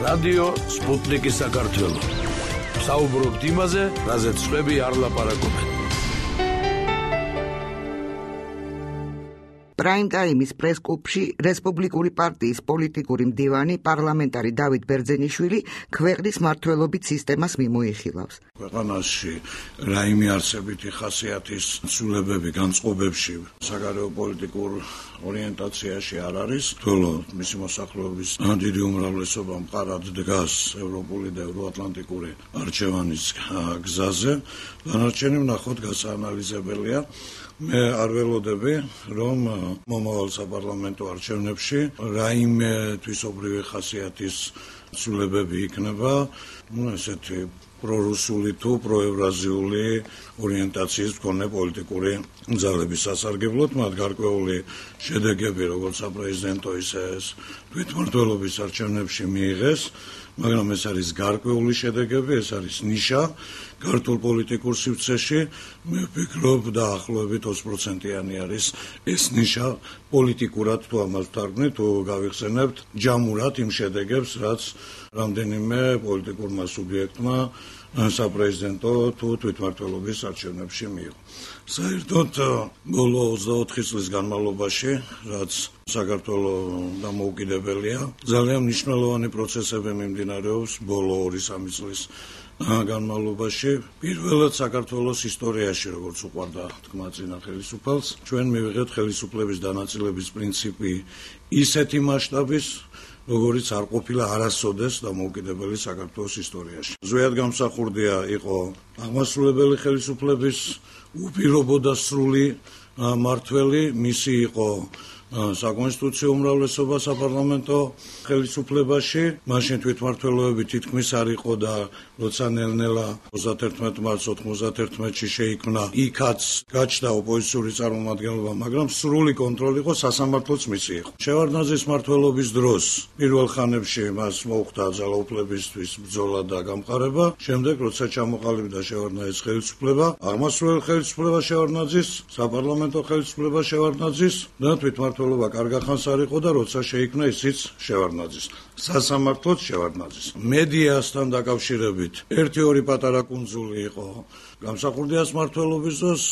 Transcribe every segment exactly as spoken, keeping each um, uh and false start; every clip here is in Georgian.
რადიო სპუტნიკი საქართველო. საუბრობთ იმაზე, რაზეც სხვები არ ლაპარაკობენ. პრაიმ ტაიმის პრესკლუბში რესპუბლიკური პარტიის პოლიტიკური მდივანი პარლამენტარი დავით ბერძენიშვილი ქვეყნის მმართველობით სისტემას მიმოიხილავს. ქვეყანაში რაიმე არსებითი ხასიათის ცვლილებები განწყობებში საგარეო პოლიტიკურ ორიენტაციაში არ არის. თოლო მისი მოსახლეობის დიდი უმრავლესობა მყარად დგას ევროპული და ევროატლანტიკური არჩევანის გზაზე. დანარჩენი ვნახოთ გასაანალიზებელია. მე არ ველოდები, რომ მომავალ საპარლამენტო არჩევნებში რაიმე თვისობრივი ხასიათის ცვლილებები იქნება, ну ესეთი პრორუსული თუ პროევრაზიული ორიენტაციის მქონე პოლიტიკური ძალების სასარგებლოდ, მათ გარკვეული შედეგები, როგორც საპრეზიდენტო, ისე თვითმმართველობის არჩევნებში მიიღეს, მაგრამ ეს არის გარკვეული შედეგები, ეს არის ნიშა ქართულ პოლიტიკურ სივრცეში. მე ვფიქრობ, დაახლოებით ოცი პროცენტიანი არის ეს ნიშა პოლიტიკურად თუ ამას ვთარგმნით, თუ გავიხსენებთ ჯამურად იმ შედეგებს, რაც რამდენიმე პოლიტიკურმა სუბიექტმა საპრეზიდენტო თუ თვითმმართველობის არჩევნებში მიიღო. საერთოდ ბოლო ოცდაოთხი წლის განმავლობაში, რაც საქართველოს დამოუკიდებელია, ძალიან მნიშვნელოვანი პროცესები მიმდინარეობს ბოლო ორი სამი წლის განმავლობაში. პირველად საქართველოს ისტორიაში, როგორც უყვარდა თქმა წინა ხელისუფალს, ჩვენ მივიღეთ ხელისუფლების დანაწილების პრინციპი ისეთი მასშტაბის, როგორც არ ყოფილა არასოდეს დამოუკიდებელი საქართველოს ისტორიაში. ზუსტად გამსახურდია იყო აღმასრულებელი ხელისუფლების უპირობო და სრული მმართველი, მისი იყო საკონსტიტუციო უმრავლესობა საპარლამენტო ხელისუფლებაში. მაშინ თვითმმართველობები თითქმის არ იყო და როცა ნელ-ნელა ოცდაათი მარტს ოთხმოცდაათში შეიქმნა, იქაც გაჩნდა ოპოზიციური წარმომადგენლობა, მაგრამ სრული კონტროლი იყო სასამართლოც მისი იყო. შევარდნაძის მმართველობის დროს პირველ ხანებში მას მოუხდა ძალაუფლებისთვის ბრძოლა და გამყარება. შემდეგ, როცა ჩამოყალიბდა შევარდნაძის ხელისუფლება, აღმასრულებელი ხელისუფლება შევარდნაძის, საპარლამენტო ხელისუფლება შევარდნაძის და თვითმმართველობა კარგა ხანს არ იყო და როცა შეიქმნა ისიც შევარდნაძის, სასამართლოც შევარდნაძის. მედიასთან დაკავშირებით ერთი ორი პატარა კუნძული იყო გამსახურდიას მმართველობის დროს,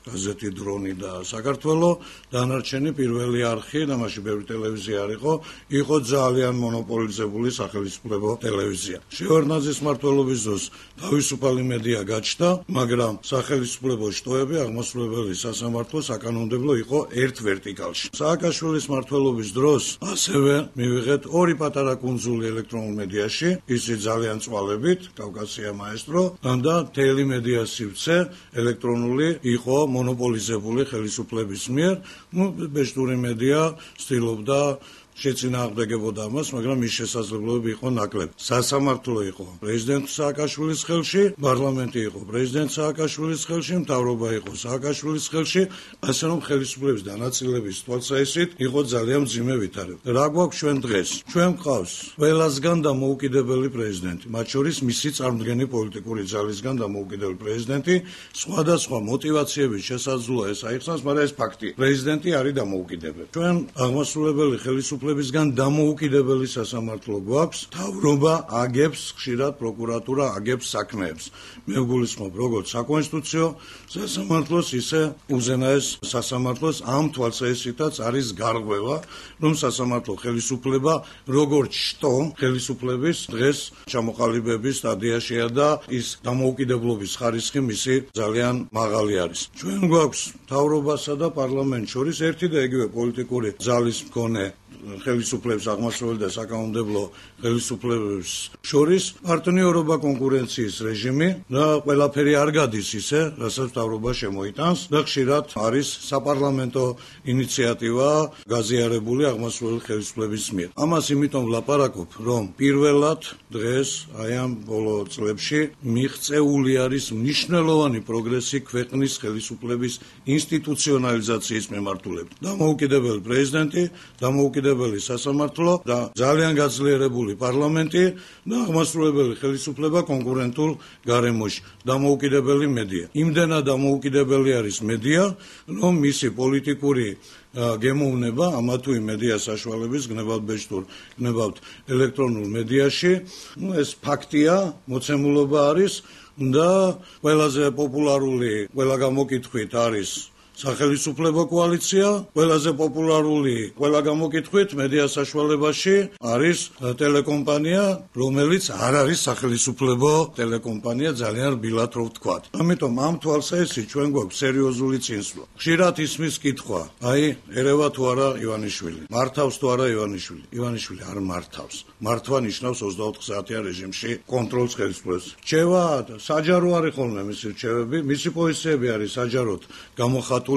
გაზეთი დრონი და საქართველო, დანარჩენი პირველი არხი და მაშინ ბევრი ტელევიზია არ იყო, იყო ძალიან მონოპოლიზებული სახელმწიფო ტელევიზია. შევარდნაძის მმართველობის დროს თავისუფალი მედია გაჩნდა, მაგრამ სახელმწიფო შტოები აღმასრულებელი სასამართლო საკანონმდებლო იყო ერთ ვერტიკალში. სააკაშვილის მმართველობის დროს ასევე მივიღეთ ორი პატარა კუნძული ელექტრონულ მედიაში, ისიც ძალიან წვალებით, კავკასია მაესტრო და მთელი მედია სივრცე ელექტრონული იყო მონოპოლიზებული ხელისუფლების მიერ. ну ბეჭდური მედია ცდილობდა შეწინააღმდეგებოდა ამას, მაგრამ მის შესაძლებლობები იყო ნაკლები. სასამართლო იყო პრეზიდენტ სააკაშვილის ხელში, პარლამენტი იყო პრეზიდენტ სააკაშვილის ხელში, მთავრობა იყო სააკაშვილის ხელში, ასე რომ ხელისუფლების დანაწილების თვალსაჩინო იყო ძალიან მძიმე ვითარება. რა გვაქვს ჩვენ დღეს? ჩვენ გვყავს ყველასგან დამოუკიდებელი პრეზიდენტი, მათ შორის მისი წარმომადგენელი პოლიტიკური ძალისგან დამოუკიდებელი პრეზიდენტი, სხვადასხვა მოტივაციების შესაძლოა ეს აიხსნას, მაგრამ ეს ფაქტია. პრეზიდენტი არის დამოუკიდებელი. ჩვენ აღმასრულებელი ხელისუფლება ბისგან დამოუკიდებელი სასამართლო გვაქვს, თავრობა აგებს, ხშირად პროკურატურა აგებს საქმეებს. მე ვგულისხმობ, როგორც საკონსტიტუციო სასამართლოს, ისე უზენაეს სასამართლოს ამ თვალსაზრისითაც არის გარღვევა, რომ სასამართლო ხელისუფლება როგორც შტო ხელისუფლების დღეს ჩამოყალიბების სტადიაშია და ის დამოუკიდებლობის ხარისხი მისი ძალიან მაღალი არის. ჩვენ გვაქვს თავრობასა და პარლამენტს შორის ერთი და იგივე პოლიტიკური ძალის მქონე ხელისუფლების აღმასრულებელი და საკანონმდებლო ხელისუფლების შორის პარტნიორობა კონკურენციის რეჟიმი და ყველაფერი არ გადის ისე, რასაც თავრობა შემოიტანს და ხშირად არის საპარლამენტო ინიციატივა გაზიარებული აღმასრულებელი ხელისუფლების მიერ. ამას იმიტომ ვლაპარაკობ, რომ პირველად დღეს აი ამ ბოლო წლებში მიღწეული არის მნიშვნელოვანი პროგრესი ქვეყნის ხელისუფლების ინსტიტუციონალიზაციის მიმართულებით. დამოუკიდებელი პრეზიდენტი, დამოუკიდებელი სასამართლო და ძალიან გაძლიერებული პარლამენტი და აღმასრულებელი ხელისუფლება კონკურენტულ გარემოში. დამოუკიდებელი მედია. იმდენად დამოუკიდებელი არის მედია, რომ მისი პოლიტიკური გემოვნება ამა თუ იმ მედია საშუალების გნებავთ ბეჭდურ, გნებავთ ელექტრონულ მედიაში. ნუ ეს ფაქტია, მოცემულობა არის და ყველაზე პოპულარული, ყველა გამოკითხვით არის სახელმწიფო კოალიცია, ყველაზე პოპულარული, ყველა გამოკითხვით მედია საშუალებაში არის ტელეკომპანია, რომელიც არ არის სახელმწიფო ტელეკომპანია, ძალიან რბილად რო ვთქვათ. ამიტომ ამ თვალსაჩინო ჩვენ გვაქვს სერიოზული წინსვლა. ხშირად ისმის კითხვა, აი, ერევა თუ არა ივანიშვილი, მართავს თუ არა ივანიშვილი. ივანიშვილი არ მართავს. მართვა ნიშნავს ოცდაოთხ საათიან რეჟიმში კონტროლს ხელისუფლებას. რჩევა საჯარო არის ხოლმე მისი რჩევები, მისი პოზიციები არის საჯაროდ გამოხატული.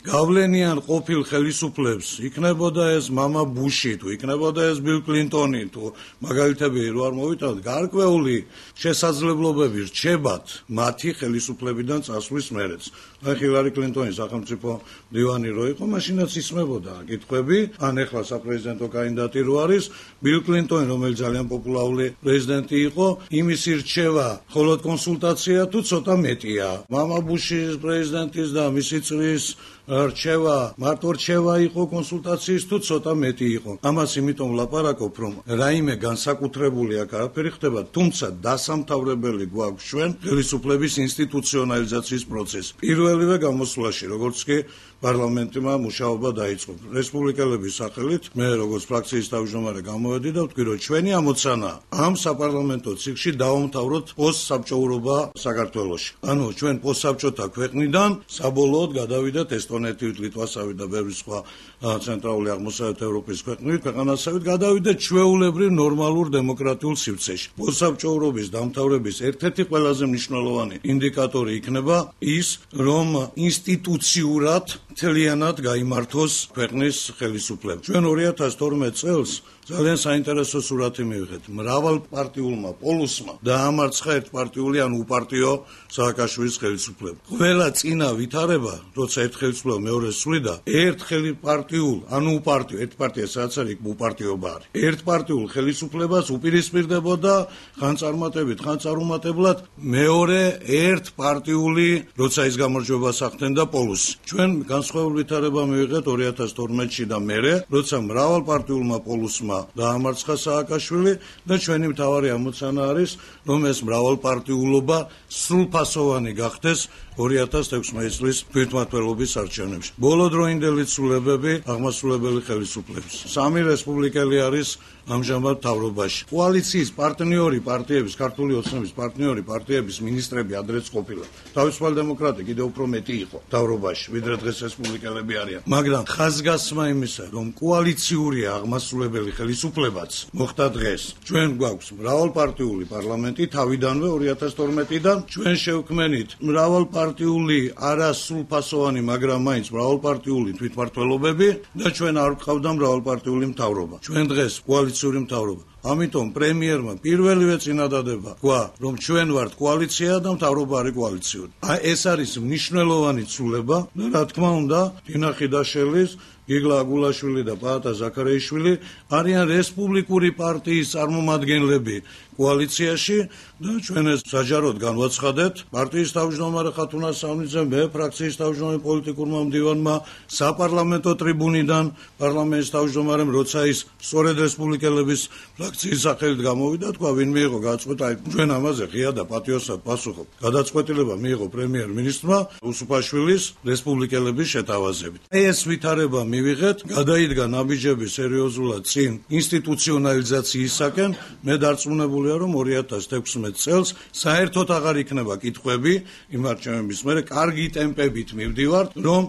გავლენიან ყოფილ ხელისუფლებს იქნებოდა ეს მამა ბუში თუ იქნებოდა ეს ბილ კლინტონი თუ მაგალითები რო არ მოვიტანოთ გარკვეული შესაძლებლობები რჩებათ მათი ხელისუფლებიდან წასვლის მერეც. აი ჰილარი კლინტონის სახელმწიფო მდივანი რო იყო, მაშინაც ისმებოდა კითხვები, ან ეხლა საპრეზიდენტო კანდიდატი რო არის, ბილ კლინტონი, რომელიც ძალიან პოპულარული პრეზიდენტი იყო, იმის რჩევა მხოლოდ კონსულტაცია თუ ცოტა მეტია. მამა ბუშის პრეზიდენტის და მისი წრის რჩევა, მარტო რჩევა იყო კონსულტაციის თუ ცოტა მეტი იყო. ამას იმიტომ ვლაპარაკობ, რომ რაიმე განსაკუთრებული აქ არაფერი ხდება, თუმცა დასამთავრებელი გვაქვს ჩვენ ხელისუფლების ინსტიტუციონალიზაციის პროცესი. პირველივე გამოსვლაში, როგორც კი პარლამენტმა მუშაობა დაიწყო. რესპუბლიკელების სახელით მე როგორც ფრაქციის თავმჯდომარე გამოვედი და ვთქვი, რომ ჩვენი ამოცანა ამ საპარლამენტო ციკლში დავამთავროთ პოსტსაბჭოურობა საქართველოში. ანუ ჩვენ პოსტსაბჭოთა ქვეყნიდან საბოლოოდ გადავიდეთ ესტონეთით, ლიტვასავით და ბევრი სხვა ცენტრალური აღმოსავლეთ ევროპის ქვეყნებით, ქვეყანასავით გადავიდეთ ჩვეულებრივ ნორმალურ დემოკრატიულ სივრცეში. პოსტსაბჭოურობის დამთავრების ერთ-ერთი ყველაზე მნიშვნელოვანი ინდიკატორი იქნება ის, რომ ინსტიტუციურად მთლიანად გაიმართოს ქვეყნის ხელისუფლება. ჩვენ ორი ათას თორმეტ წელს ძალიან საინტერესო სურათი მივიღეთ. მრავალპარტიულმა პოლუსმა დაამარცხა ერთპარტიული ან უპარტიო სააკაშვილის ხელისუფლება. ყველა წინა ვითარება, როცა ერთ ხელისუფლება მეორეს სვლიდა, ერთ ხელისპარტიულ ან უპარტიო, ერთ პარტია სადაც არის, უპარტიობა არის. ერთპარტიულ ხელისუფლებას უპირისპირდებოდა ხან წარმატებით, ხან წარუმატებლად მეორე ერთპარტიული, როცა ის გამარჯვებას ახდენდა პოლუსი. ჩვენ განსხვავებული ვითარება მივიღეთ ორი ათას თორმეტში და მერე, როცა მრავალპარტიულმა პოლუსმა დაამარცხა სააკაშვილი და ჩვენი მთავარი ამოცანა არის, რომ ეს მრავალპარტიულობა სრულფასოვანი გახდეს ორი ათას ექვსმეტი წლის თვითმმართველობის არჩევნებში. ბოლოდროინდელი ცვლილებები აღმასრულებელი ხელისუფლების. სამი რესპუბლიკელი არის ამჟამად მთავრობაში. კოალიციის პარტნიორი პარტიების, ქართული ოცნების პარტნიორი პარტიების მინისტრები ადრეც ყოფილა. თავისუფალი დემოკრატია კიდევ უფრო მეტი იყო მთავრობაში, ვიდრე დღეს რესპუბლიკელები არიან. მაგრამ ხაზგასმა იმისა, რომ კოალიციურია აღმასრულებელი ხელისუფლებაც მოხდა დღეს. ჩვენ გვაქვს მრავალპარტიული პარლამენტი თავიდანვე ორი ათას თორმეტიდან ჩვენ შევქმნით მრავალპარტიული არასრულფასოვანი, მაგრამ მაინც მრავალპარტიული თვითმმართველობები და ჩვენ არ გვყავდა მრავალპარტიული მთავრობა. ჩვენ დღეს კოალიციური მთავრობა. ამიტომ პრემიერმა პირველივე წინადადება თქვა, რომ ჩვენ ვართ კოალიცია და მთავრობა არის კოალიციური. აი ეს არის მნიშვნელოვანი ცვლილება და რა თქმა უნდა, დინა ხიდაშელის, გიგლა აგულაშვილი და პაატა ზაქარეიშვილი არიან რესპუბლიკური პარტიის წარმომადგენლები კოალიციაში და ჩვენ ეს საჯაროდ განვაცხადეთ პარტიის თავმჯდომარე ხათუნა სამნიძემ, მე ფრაქციის თავმჯდომარე პოლიტიკურმა მდივანმა საპარლამენტო ტრიბუნიდან პარლამენტის თავმჯდომარემ, როცა ის სწორედ რესპუბლიკელების ფრაქციის სახელით გამოვიდა, თქვა, ვინ მიიღო გადაწყვეტა, ჩვენ ამაზე ღია და პატიოსად პასუხობ. გადაწყვეტილება მიიღო პრემიერ-მინისტრმა უსუპაშვილის რესპუბლიკელების შეთავაზებით. ეს ვითარება მივიღეთ, გადაიდგა ნაბიჯები სერიოზულად წინ ინსტიტუციონალიზაციისაკენ. მე დარწმუნებულია, რომ ორი ათას ექვსმეტ წელს საერთოდ აღარ იქნება კითხვები იმ არჩევნების მერე, კარგი ტემპებით მივდივართ, რომ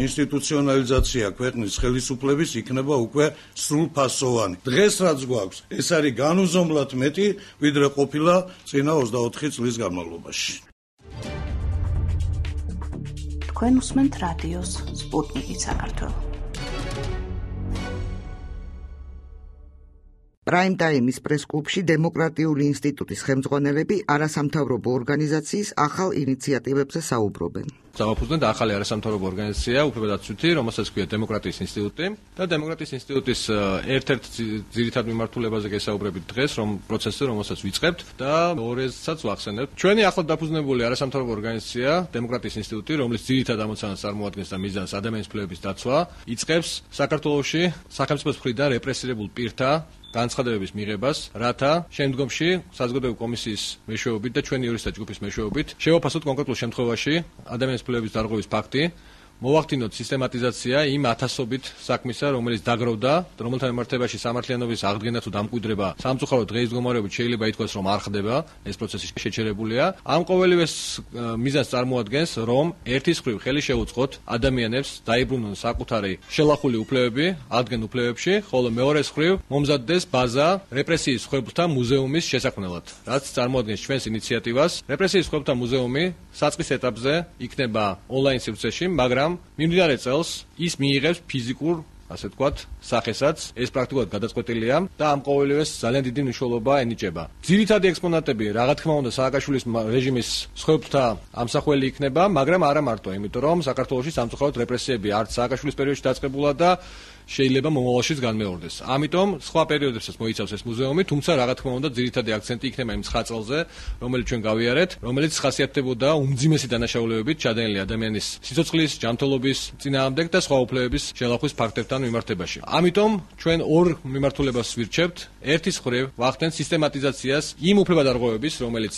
ინსტიტუციონალიზაცია ქვეყნის ხელისუფლების იქნება უკვე სრულფასოვანი. დღეს რაც გვაქვს, ეს არის განუზომლად მეტი, ვიდრე ყოფილა წინა ოცდაოთხი წლის განმავლობაში. თქვენ უსმენთ რადიოს სპუტნიკი საქართველო. პრაიმ ტაიმის პრეს-კლუბში დემოკრატიული ინსტიტუტის ხელმძღვანელები არასამთავრობო ორგანიზაციის ახალ ინიციატივებზე საუბრობენ. დავაფუძნეთ ახალი არასამთავრობო ორგანიზაცია, უფლებადაცვითი, რომელსაც ქვია დემოკრატიის ინსტიტუტი და დემოკრატიის ინსტიტუტის ერთ-ერთ ძირითად მიმართულებაზე გესაუბრებით დღეს, რომ პროცესზე, რომელსაც ვიწყებთ და მეორესაც ვახსენებთ. ჩვენი ახლად დაფუძნებული არასამთავრობო ორგანიზაცია, დემოკრატიის ინსტიტუტი, რომლის ძირითად ამოცანას წარმოადგენს და მიზანს ადამიანის უფლებების დაცვა, იწყებს საქართველოში სახელმწიფოს მხრიდან რეპრესირებულ პირთა განცხადებების მიღებას, რათა შემდგომში საზოგადოებრივი კომისიის მეშვეობით და ჩვენი იურისტთა ჯგუფის მეშვეობით შევაფასოთ კონკრეტულ შემთხვევაში ადამიანის უფლებების დარღვევის ფაქტი, მოვახდინოთ სისტემატიზაცია იმ ათასობით საქმისა, რომელიც დაგროვდა, რომელთა მიმართებაში სამართლიანობის აღდგენა თუ დამკვიდრება სამწუხაროდ დღეის მდგომარეობით შეიძლება ითქვას, რომ არ ხდება, ეს პროცესი შეჩერებულია. ამ ყოველივეს მიზანს წარმოადგენს, რომ ერთის მხრივ ხელი შეუწყოთ ადამიანებს დაიბრუნონ საკუთარი შელახული უფლებები, აღდგენ უფლებებში, ხოლო მეორეს მხრივ მომზადდეს ბაზა რეპრესიის მსხვერპლთა მუზეუმის შესაქმნელად, რაც წარმოადგენს ჩვენს ინიციატივას. რეპრესიის მსხვერპლთა მუზეუმი საწყის ეტაპზე იქნება ონლაინ სივრცეში, მაგრამ მიმდინარე წელს ის მიიღებს ფიზიკურ, ასე ვთქვათ, სახესაც, ეს პრაქტიკულად გადაწყვეტილია და ამ ყოველივეს ძალიან დიდი მნიშვნელობა ენიჭება. ძირითადი ექსპონატები, რა თქმა უნდა, სააკაშვილის რეჟიმის მსხვერპლთა ამსახველი იქნება, მაგრამ არა მარტო, იმიტომ რომ საქართველოში სამწუხაროდ რეპრესიები არც სააკაშვილის პერიოდში დაწყებულა და შეიძლება მომავალშიც განმეორდეს. ამიტომ სხვა პერიოდებსაც მოიცავს ეს მუზეუმი, თუმცა რა თქმა უნდა, ძირითადი აქცენტი იქნება იმ ცხრა წელზე, რომელიც ჩვენ გავიარეთ, რომელიც ხასიათდებოდა უმძიმესი დანაშაულებებით ჩადენილი ადამიანის სიცოცხლის, ჯანმრთელობის წინააღმდეგ და სხვა უფლებების შელახვის ფაქტებთან მიმართებაში. ამიტომ ჩვენ ორ მიმართულებას ვირჩევთ. ერთის მხრივ ვახდენთ სისტემატიზაციას იმ უფლებადარღვევების, რომელიც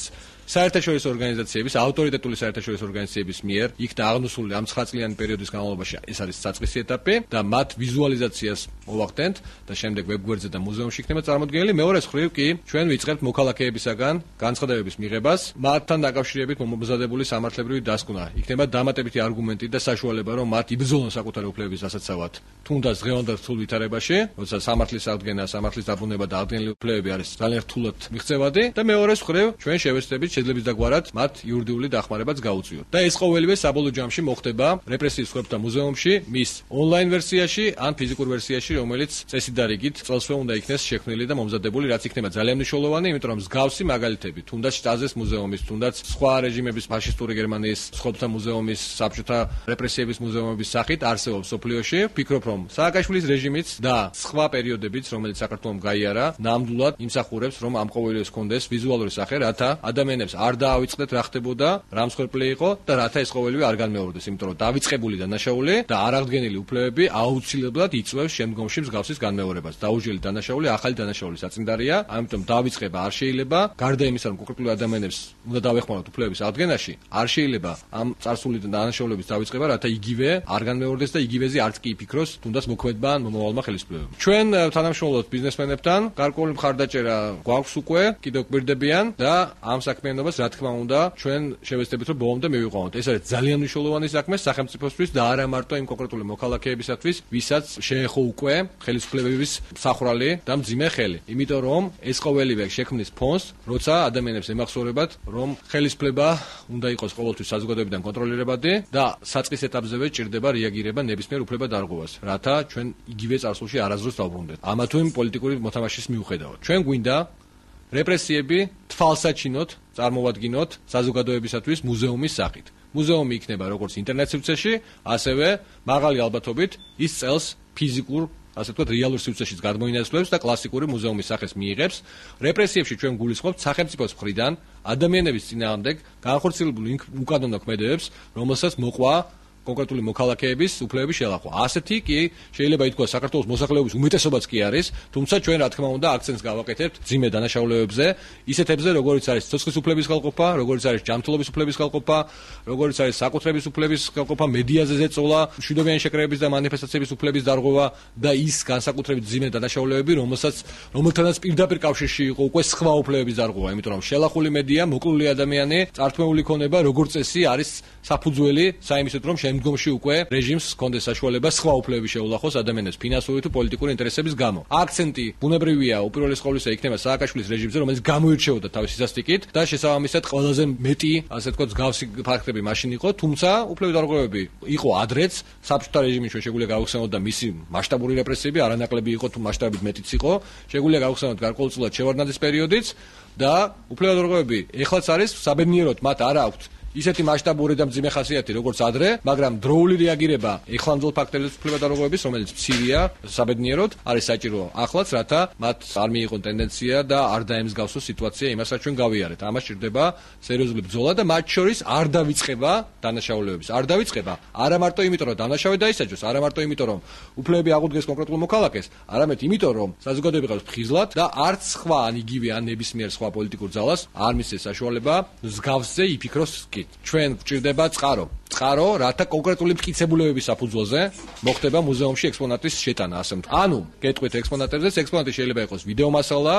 საერთაშორისო ორგანიზაციების, ავტორიტეტული საერთაშორისო ორგანიზაციების მიერ იქნა აღნუსული ამ ცხრა წლიანი პერიოდის განმავლობაში, ეს არის საწყისი ეტაპი და მათ ვიზუალიზაციას მოვახდენთ და შემდეგ ვებგვერდზე და მუზეუმში იქნება წარმოდგენილი. მეორეს მხრივ კი ჩვენ ვიწყებთ მოქალაქეებისაგან განცხადებების მიღებას, მათთან დაკავშირებით მომზადებული სამართლებრივი დასკვნა. იქნება დამატებითი არგუმენტი და საშუალება, რომ მათ იბრძოლონ საკუთარი უფლებების დასაცავად, თუნდაც დღევანდელ რთულ ვითარებაში, როცა სამართლის აღდგენა, სამართლის დაბრუნება და აღდგენილი უფლებები არის ძალიან რთულად მიღწევადი და მეორეს მხრივ ჩვენ შევეცდებით შეძლებს დაგვარად მათ იურიდიული დახმარებაც გაუწიოთ. და ეს ყოველივე საბოლოო ჯამში მოხდება რეპრესიის მსხვერპლთა მუზეუმში, მის ონლაინ ვერსიაში ან ფიზიკურ ვერსიაში, რომელიც წესით და რიგით წელსვე უნდა იქნეს შექმნილი და მომზადებული, რაც იქნება ძალიან მნიშვნელოვანი, იმიტომ რომ მსგავსი მაგალითები, თუნდაც შტაზეს მუზეუმის, თუნდაც სხვა რეჟიმების ფაშისტური გერმანიის მსხვერპლთა მუზეუმის, საბჭოთა რეპრესიების მუზეუმების სახით არსებობს სოფლიოში. ვფიქრობ, რომ სააკაშვილის რეჟიმიც და სხვა პერიოდებიც, რომელიც საქართველოს გაიარა, ნამდვილად იმსახურებს, რომ ამ ყოველივეს ჰქონდეს ვიზუალური სახე, რათა ადამიანებს არ დაავიწყდეთ რა ხდებოდა, რა მსხვერპლი იყო და რათა ეს ყოველივე არ განმეორდეს, იმიტომ რომ დავიწყებული დანაშაული და არ აღდგენილი უფლებები აუცილებლად იწვევს შემდგომში მსგავსის განმეორებას. დაუჯელი დანაშაული ახალი დანაშაულის საწინდარია, ამიტომ დავიწყება არ შეიძლება, გარდა იმისა, რომ კონკრეტული ადამიანებს უნდა დავეხმაროთ უფლებების აღდგენაში, არ შეიძლება ამ წარსული დანაშაულების დავიწყება, რათა იგივე არ განმეორდეს და იგივეზე არც კი იფიქროს, თუნდაც მოქმედმა ან მომავალმა ხელისუფლებამ. ჩვენ თანამშრომლობთ ბიზნესმენებთან, გარკვეული მხარდაჭერა გვაქვს უკვე, კიდევ გვირდებიან და ამ საქმიანობას რა თქმა უნდა ჩვენ შევეცდებით რომ ბოლომდე მივიყვანოთ. ეს არის ძალიან მნიშვნელოვანი საქმე სახელმწიფოსთვის და არა მარტო იმ კონკრეტული მოქალაქეებისათვის, ვისაც შეეხო უკვე ხელისუფლებების მსახურალი და მძიმე ხელი. იმიტომ რომ ეს ყოველივე შექმნის ფონს, როცა ადამიანებს ემახსოვრებათ, რომ ხელისუფლება უნდა იყოს ყოველთვის საზოგადოებიდან კონტროლირებადი და საწყის ეტაპზევე ჭირდება რეაგირება ნებისმიერ უფლებადარღვევას, რათა ჩვენ იგივე წარსულში არასდროს დავბრუნდეთ. ამა თუ იმ პოლიტიკური მოთამაშის მიუხედავად. ჩვენ გვინდა რეპრესიები თვალსაჩინოდ წარმოვადგინოთ საზოგადოებისათვის მუზეუმის სახით. მუზეუმი იქნება როგორც ინტერნეტ სივრცეში, ასევე მაღალი ალბათობით ის წელს ფიზიკურ, ასე ვთქვათ, რეალურ სივრცეშიც გადმოინაცვლებს და კლასიკური მუზეუმის სახეს მიიღებს. რეპრესიებში ჩვენ გულისხმობთ სახელმწიფოს მხრიდან ადამიანების წინააღმდეგ განხორციელებულ უკანონო ქმედებებს, რომელსაც მოყვა კონკრეტული მოქალაქეების უფლებების შელახვა. ასეთი კი შეიძლება ითქვას საქართველოს მოსახლეობის უმეტესობაც კი არის, თუმცა ჩვენ რა თქმა უნდა აქცენტს გავაკეთებთ ძიმე დანაშაულებებზე, ისეთებზე, როგორიც არის სიცოცხლის უფლების ხელყოფა, როგორიც არის ჯანმრთელობის უფლების ხელყოფა, როგორიც არის საკუთრების უფლების ხელყოფა, მედიაზე ზეწოლა, მშვიდობიანი შეკრებების და მანიფესტაციების უფლების დარღვევა და ის განსაკუთრებით ძიმე დანაშაულებები, რომელსაც რომელთანაც პირდაპირ კავშირში იყო უკვე სხვა უფლებების დარღვევა, იმიტომ რომ შელახული მედია, მოკლული ადამიანი, წართმეული ქონება, როგორც წესი არის საფუძველი საიმისოდ, რომ შემდგომში უკვე რეჟიმს ჰქონდეს საშუალება სხვა უფლებები შეულახოს ადამიანებს ფინანსური თუ პოლიტიკური ინტერესების გამო. აქცენტი ბუნებრივია უპირველეს ყოვლისა იქნება სააკაშვილის რეჟიმზე, რომელიც გამოირჩეოდა თავისი სასტიკით და შესაბამისად ყველაზე მეტი, ასე ვთქვათ, მსგავსი ფაქტები მაშინ იყო, თუმცა უფლებადარღვევები იყო ადრეც, საბჭოთა რეჟიმის ჩვენ შეგვიძლია გავხსენოთ და მისი მასშტაბური რეპრესიები არანაკლები იყო თუ მასშტაბით მეტიც იყო, შეგვიძლია გავხსენოთ გარკვეულწილად შევარდნაძის პერიოდიც და უფლებადარღვევები ეხლაც არის საბედნიეროდ მათ არ აქვთ ისეთი მასშტაბური და მძიმე ხასიათი, როგორც ადრე, მაგრამ დროული რეაგირება ეხლამძღოლ ფაქტების უფლება და როგორების, რომელიც მცირეა საბედნიეროდ, არის საჭირო ახლაც, რათა მათ არ მიიღონ ტენდენცია და არ დაემსგავსოს სიტუაცია იმას, რაც ჩვენ გავიარეთ. ამას სჭირდება სერიოზული ბრძოლა და მათ შორის არ დავიწყება დანაშაულებების. არ დავიწყება არა მარტო იმიტომ, რომ დანაშაულე დაისაჯოს, არა მარტო იმიტომ, რომ უფლებები აღუდგეს კონკრეტულ მოქალაქეს, არამედ იმიტომ, რომ საზოგადოება ყავს ფხიზლად და არც სხვა ან იგივე ან ნებისმიერ სხვა პოლიტიკურ ძალას არ მისცეს საშუალება მსგავსზე იფიქროს კი. ჩვენ გვჭირდება წყარო. წყარო, რათა კონკრეტული მტკიცებულებების საფუძველზე მოხდება მუზეუმში ექსპონატის შეტანა, ასე ვთქვათ. ანუ, გეტყვით ექსპონატებზე, ექსპონატი შეიძლება იყოს ვიდეო მასალა,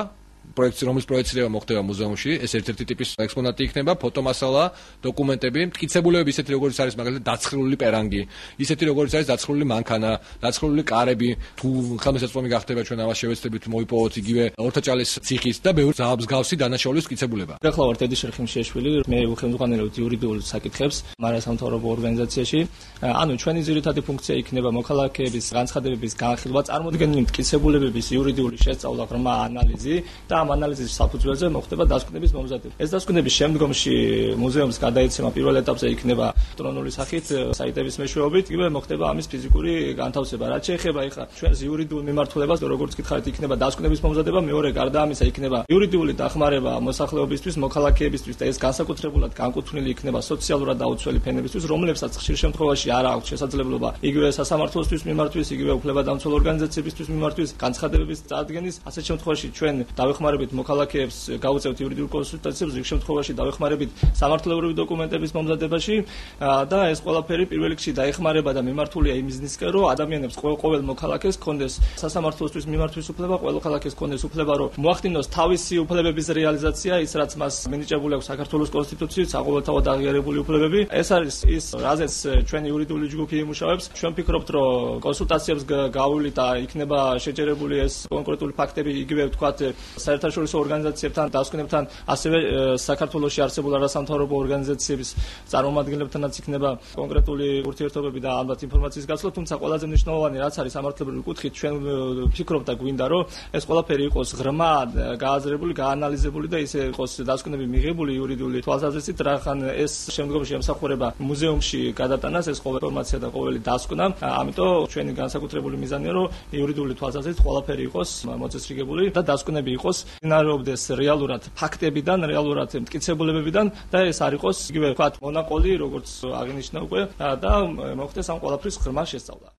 პროექტი, რომლის პროექცია მოხდება მუზეუმში, ეს ერთ-ერთი ტიპის ექსპონატი იქნება, ფოტომასალა, დოკუმენტები, მტკიცებულებები, ისეთი როგორც არის მაგალითად დაცხრილული პერანგი, ისეთი როგორც არის დაცხრილული მანქანა, დაცხრილული კარები, თუ ხელმისაწვდომი გახდება ჩვენ ამას შევეცდებით მოვიპოვოთ იგივე ორთაჭალის ციხის და ბევრი მსგავსი დანაშაულის მტკიცებულება. ახლა ვარ დედი შერხიმშიაშვილი, მე უხელმძღვანელობ იურიდიულ საკითხებს მარასამთავრობო ორგანიზაციაში. ანუ ჩვენი ძირითადი ფუნქცია იქნება მოქალაქეების განცხადებების განხილვა, წარმოდგენილი მტკიცებულებების იურიდიული შესწავლა, ღრმა ანალიზი და ამ ანალიზის საფუძველზე მოხდება დასკვნების მომზადება. ეს დასკვნების შემდგომში მუზეუმს გადაეცემა პირველ ეტაპზე იქნება ელექტრონული სახით საიტების მეშვეობით, იგივე მოხდება ამის ფიზიკური განთავსება. რაც შეეხება ეხლა ჩვენს იურიდიულ მიმართულებას, როგორც გითხარით, იქნება დასკვნების მომზადება, მეორე გარდა ამისა იქნება იურიდიული დახმარება მოსახლეობისთვის, მოქალაქეებისთვის და ეს განსაკუთრებულად განკუთვნილი იქნება სოციალურად დაუცველი ფენებისთვის, რომლებსაც ხშირ შემთხვევაში არ აქვს შესაძლებლობა იგივე სასამართლოსთვის მიმართვის, იგივე უფლებადამცველ ორგანიზაციებისთვის მიმართვის განცხადებების წარდგენის. ასეთ შემთხვევაში ჩვენ დავეხმარებით მოქალაქეებს გავუწევთ იურიდიულ კონსულტაციებს, რიგ შემთხვევაში დავეხმარებით სამართლებრივი დოკუმენტების მომზადებაში და ეს ყველაფერი პირველ რიგში დაეხმარება და მიმართულია იმ მიზნისკენ, რომ ადამიანებს ყოველ მოქალაქეს ჰქონდეს სასამართლოსთვის მიმართვის უფლება, ყოველ მოქალაქეს ჰქონდეს უფლება, რომ მოახდინოს თავისი უფლებების რეალიზაცია, ის რაც მას მინიჭებული აქვს საქართველოს კონსტიტუციით, საყოველთაოდ აღიარებული უფლებები. ეს არის ის, რაზეც ჩვენი იურიდიული ჯგუფი იმუშავებს. ჩვენ ვფიქრობთ, რომ კონსულტაციებს გავავლით და იქნება შეჯერებული ეს კონკრეტული ფაქტები, იგივე ვთქვათ, საერთაშორისო ორგანიზაციებთან, დასკვნებთან, ასევე საქართველოში არსებულ არასამთავრობო ორგანიზაციების წარმომადგენლებთანაც იქნება კონკრეტული ურთიერთობები და ალბათ ინფორმაციის გაცვლა, თუმცა ყველაზე მნიშვნელოვანი რაც არის სამართლებრივი კუთხით, ჩვენ ვფიქრობთ და გვინდა, რომ ეს ყველაფერი იყოს ღრმა, გააზრებული, გაანალიზებული და ისე იყოს დასკვნები მიღებული იურიდიული თვალსაზრისით, რახან ეს შემდგომში ემსახურება მუზეუმში გადატანას, ეს ყოველი ინფორმაცია და ყოველი დასკვნა. ამიტომ ჩვენი განსაკუთრებული მიზანია, რომ იურიდიული თვალსაზრისით ყველაფერი იყოს მოწესრიგებული და დასკვნები იყოს ინარობდეს რეალურად ფაქტებიდან, რეალურად მტკიცებულებებიდან და ეს არ იყოს იგივე ვთქვათ მონაყოლი, როგორც აღინიშნა უკვე და მოხდეს ამ ყველაფრის ღრმა შესწავლა.